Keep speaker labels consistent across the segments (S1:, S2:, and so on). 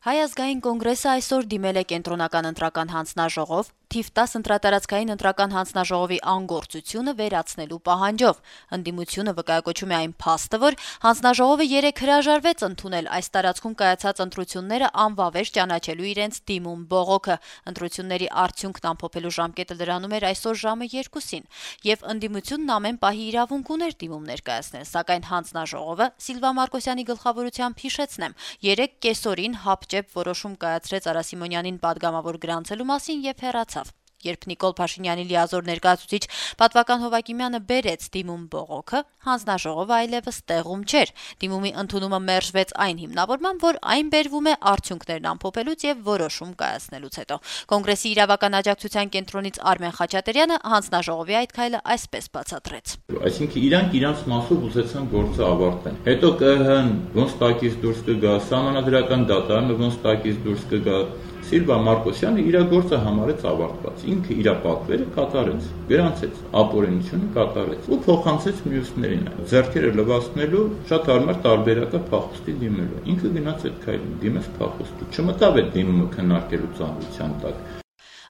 S1: Հայ ազգային կոնգրեսը այսօր դիմել է կենտրոնական ընտրական հանձնաժողով թիվ 10 ընտրատարածքային ընտրական հանձնաժողովի անգործությունը վերացնելու պահանջով։ Ընդդիմությունը վկայակոչում է այն փաստը, որ հանձնաժողովը 3 հրաժարվեց ընդունել այս տարածքում կայացած ընտրությունները անվավեր ճանաչելու իրենց դիմում բողոքը։ Ընտրությունների արդյունքն ամփոփելու ժամկետը լրանում էր այսօր ժամը 2-ին, եւ ընդդիմությունն ամեն պահի իրավունք ուներ դիմում ներկայացնել, սակայն հանձնաժողովը Սիլվա Մարկոսյանի գլխավորությամբ հիշեցնեմ 3 կեսօրին հապճեպ որոշում կայացրեց Արա Սիմոնյանին պատգամավոր գրանցելու մասին եւ հեռացավ։ Երբ Նիկոլ Փաշինյանի լիազոր ներկայացուցիչ Պատվական Հովակիմյանը բերեց դիմում բողոքը, հանձնաժողովը այլևս տեղում չէր։ Դիմումի ընդունումը մերժվեց այն հիմնավորմամբ, որ այն բերվում է արդյունքներն ամփոփելուց եւ որոշում կայացնելուց հետո։ Կոնգրեսի իրավական աջակցության կենտրոնից Արմեն Խաչատրյանը հանձնաժողովի այդ քայլը այսպես բացատրեց.
S2: Այսինքն իրանք իրանց մասով ուզեցան գործը ավարտեն։ Հետո ԿՀ-ն ոնց տակից դուրս կգա, Սահմանադրական դատարանը ոնց տակից դուրս կգա, Սիլվա Մարկոսյանը իր գործը համարեց ավարտված։ Ինքը իր պատվերը կատարեց, գրանցեց, ապօրինությունը կատարեց ու փոխանցեց մյուսներին։ Ձեռքերը լվացնելու շատ հարմար տարբերակը փախուստի դիմելու։ Ինքը գնաց այդ քայլին, դիմեց փախուստի։ Չմտավ այդ դիմումը քննարկելու ծանրության տակ։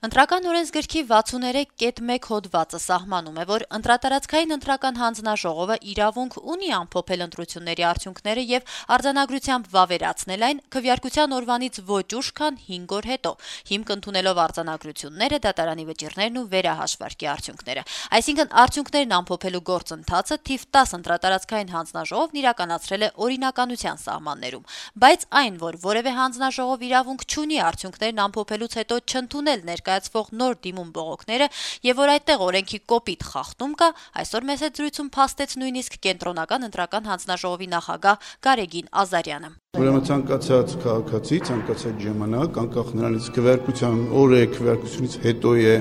S1: Ընտրական օրենսգրքի 63.1 հոդվածը սահմանում է, որ ընտրատարածքային ընտրական հանձնաժողովը իրավունք ունի ամփոփել ընտրությունների արդյունքները եւ արձանագրությամբ վավերացնել այն քվեարկության օրվանից ոչ ուշ, քան 5 օր հետո, հիմք ընդունելով արձանագրությունները, դատարանի վճիռներն ու վերահաշվարկի արդյունքները։ Այսինքն արդյունքներն ամփոփելու գործընթացը թիվ 10 ընտրատարածքային հանձնաժողովն իրականացրել է օրինականության սահմաններում, բայց այն, որ որևէ հանձնաժողով իրավունք չունի արդյունքներն ամփոփելուց հետո չընդունել ներկայացվող նոր դիմում բողոքները եւ որ այդտեղ օրենքի կոպիտ խախտում կա, այսօր մեծ զրույցում փաստեց նույնիսկ կենտրոնական ընտրական հանձնաժողովի նախագահ Գարեգին Ազարյանը։
S3: Ուրեմն ցանկացած քաղաքացի, ցանկացած ժամանակ, անկախ նրանից քվեարկության օրը, քվեարկությունից հետո է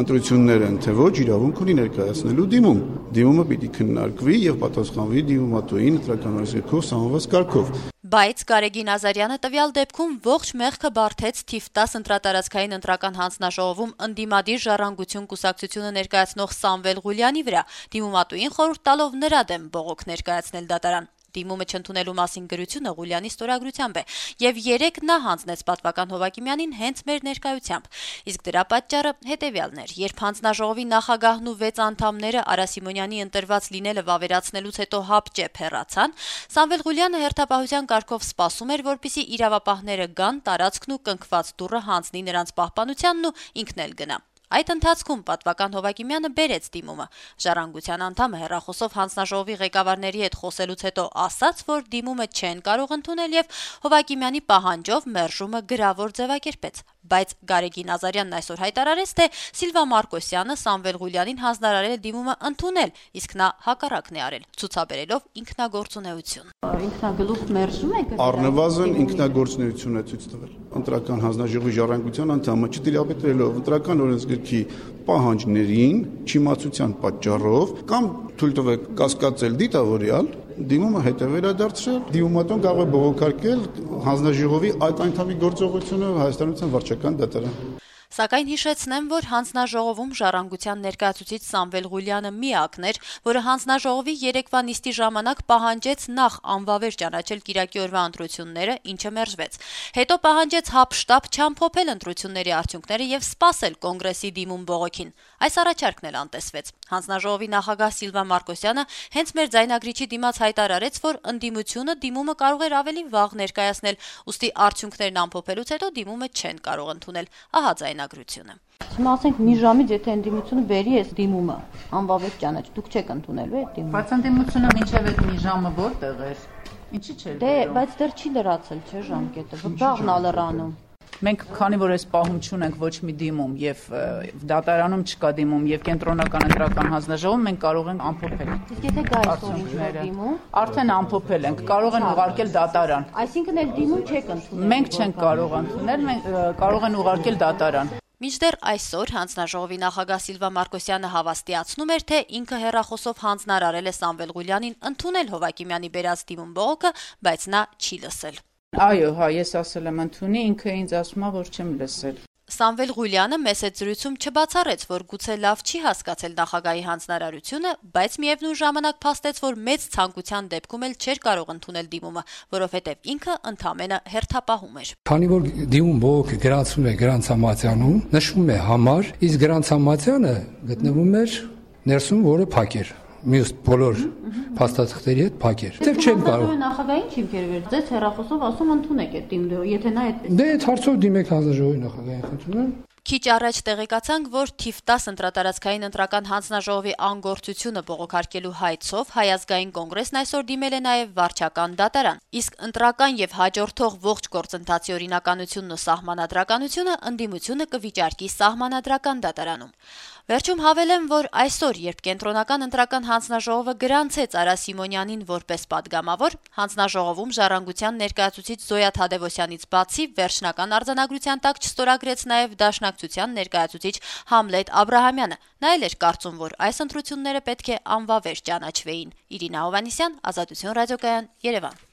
S3: ընտրությունները, թե ոչ, իրավունք ունի ներկայացնելու դիմում։ Դիմումը պիտի քննարկվի եւ պատասխանվի դիմումատուին ընտրական օրենսգրքով սահմանված կարգով։
S1: Բայց Գարեգին Ազարյանը տվյալ դեպքում ողջ մեղքը բարթեց թիվ 10 ընտրատարածքային ընտրական հանձնաժողովում ընդդիմադիր ժառանգություն կուսակցությունը ներկայացնող Սամվել Ղուլյանի վրա, դիմումատուին խորհուրդ տալով նրա դեմ բողոք ներկայացնել դատարան։ Դիմումը չընդունելու մասին գրությունը Ղուլյանի ստորագրությամբ է, եւ 3 նա հանձնեց Պատվական Հովակիմյանին հենց մեր ներկայությամբ։ Իսկ դրա պատճառը հետեւյալն էր. երբ հանձնաժողովի նախագահն ու 6 անդամները Արա Սիմոնյանի ընտրված լինելը վավերացնելուց հետո հապճեպ հեռացան, Սամվել Ղուլյանը հերթապահության կարգով սպասում էր, որպեսզի իրավապահները գան, տարածքն ու կնքված դուռը հանձնի նրանց պահպանությանն ու ինքն էլ գնա։ Այդ ընթացքում Պատվական Հովակիմյանը բերեց դիմումը։ Ժառանգության անդամը հեռախոսով հանձնաժողովի ղեկավարների հետ խոսելուց հետո ասաց, որ դիմումը չեն կարող ընդունել եւ Հովակիմյանի պահանջով մերժումը գրավոր ձևակերպեց։ Բայց Գարեգին Ազարյանն այսօր հայտարարեց, թե Սիլվա Մարկոսյանը Սամվել Ղուլյանին հանձնարարել է դիմումը ընդունել, իսկ նա հակառակն է արել, ցուցաբերելով ինքնագործունեություն։
S4: Ինքնագլուխ մերժում եք։
S3: Առնվազն ինքնագործունեություն է ցույց տվել։ Ընտրական հանձնաժողովի ժառանգության անդամը չտիրապետելով ընտրական օրենսգրքի պահանջներին, չիմացության պատճառով կամ թույլ տվեք կասկածել դիտավորյալ, դիմումը հետ է վերադարձրել, դիմումատուն կարող է բողոքարկել հանձնաժողովի այդ անդամի գործողությունը Հայաստանության վարչական դատարան։
S1: Սակայն հիշեցնեմ, որ հանձնաժողովում ժառանգության ներկայացուցիչ Սամվել Ղուլյանը միակն էր, որը հանձնաժողովի երեկվա նիստի ժամանակ պահանջեց նախ անվավեր ճանաչել կիրակի օրվա ընտրությունները, ինչը մերժվեց։ Հետո պահանջեց հապշտապ չամփոփել ընտրությունների արդյունքները եւ սպասել կոնգրեսի դիմում բողոքին։ Այս առաջարկն էլ անտեսվեց։ Հանձնաժողովի նախագահ Սիլվա Մարկոսյանը հենց մեր ձայնագրիչի դիմաց հայտարարեց, որ ընդդիմությունը դիմումը կարող էր ավելի վաղ ներկայացնել, ուստի արդյունքներն ամփոփելուց հետո դիմումը չեն կարող ընդունել։ Ահա ձայնագրությունը։
S4: Հիմա ասենք մի ժամից եթե ընդդիմությունը բերի այս դիմումը, անվավեր ճանաչ, դուք չեք ընդունելու այդ դիմումը։
S5: Բայց ընդդիմությունը մինչև այդ մի ժամը որտեղ էր։ Ինչի՞ չէր։
S4: Դե, բայց դեռ չի լրացել, չէ՞ ժամկետը։ Վաղն ա լրանում։
S5: Մենք քանի որ այս պահում չունենք ոչ մի դիմում եւ դատարանում չկա դիմում եւ կենտրոնական ընտրական հանձնաժողովում մենք կարող ենք ամփոփել։
S4: Իսկ եթե գա այսօր դիմում,
S5: արդեն ամփոփել ենք, կարող են ուղարկել դատարան։
S4: Այսինքն էլ դիմում չեք ընդունել։
S5: Մենք չենք կարող ընդունել, մենք կարող են ուղարկել դատարան։
S1: Մինչդեռ այսօր հանձնաժողովի նախագահ Սիլվա Մարկոսյանը հավաստիացնում էր, թե ինքը հեռախոսով հանձնարարել է Սամվել Ղուլյանին ընդունել Հովակիմյանի բերած դիմում բողոքը, բայց նա չի լսել։
S5: Այո, հա, ես ասել եմ ընդունի, ինքը ինձ ասում է, որ չեմ լսել։
S1: Սամվել Ղուլյանը մեծ զրույցում չբացառեց, որ գուցե լավ չի հասկացել նախագահի հանձնարարությունը, բայց միևնույն ժամանակ փաստեց, որ մեծ ցանկության դեպքում էլ չէր կարող ընդունել դիմումը, որովհետև ինքը ընդամենը հերթապահում էր։
S6: Քանի որ դիմում բողոքը գրանցվում է գրանցամատյանում, նշվում է համար, իսկ գրանցամատյանը գտնվում էր ներսում, որը փակ էր։ Մյուս բոլոր փաստաթղթերի հետ փակ էր։ Դեռ չեմ կարող։
S4: Նախագահին չիմքեր վեր։ Ձեզ հեռախոսով ասում ընդունեք այդ դիմը, եթե նա այդպես։
S6: Դե այդ հարցով դիմեք հանձնաժողովի նախագահին, խնդրում եմ։
S1: Քիչ առաջ տեղեկացանք, որ թիվ 10 ընտրատարածքային ընտրական հանձնաժողովի անգործությունը բողոքարկելու հայցով Հայ ազգային կոնգրեսն այսօր դիմել է նաև վարչական դատարան, իսկ ընտրական եւ հաջորդող ողջ գործընթացի օրինականությունն ու սահմանադրականությունը ընդդիմությունը կվիճարկի սահմանադրական դատարանում։ Վերջում հավելեմ, որ այսօր, երբ կենտրոնական ընտրական հանձնաժողովը գրանցեց Արա Սիմոնյանին որպես падգամավոր, հանձնաժողովում Ժառանգության ներկայացուցիչ Զոյա Թադևոսյանից բացի վերջնական արձանագրության տակ չստորագրեց նաև Դաշնակցության ներկայացուցիչ Համլետ Աբրահամյանը։ Նա էլ էր կարծում, որ այս ընտրությունները պետք է անվավեր ճանաչվեին։ Իրինա Հովհաննիսյան, Ազատություն ռադիոկայան, Երևան։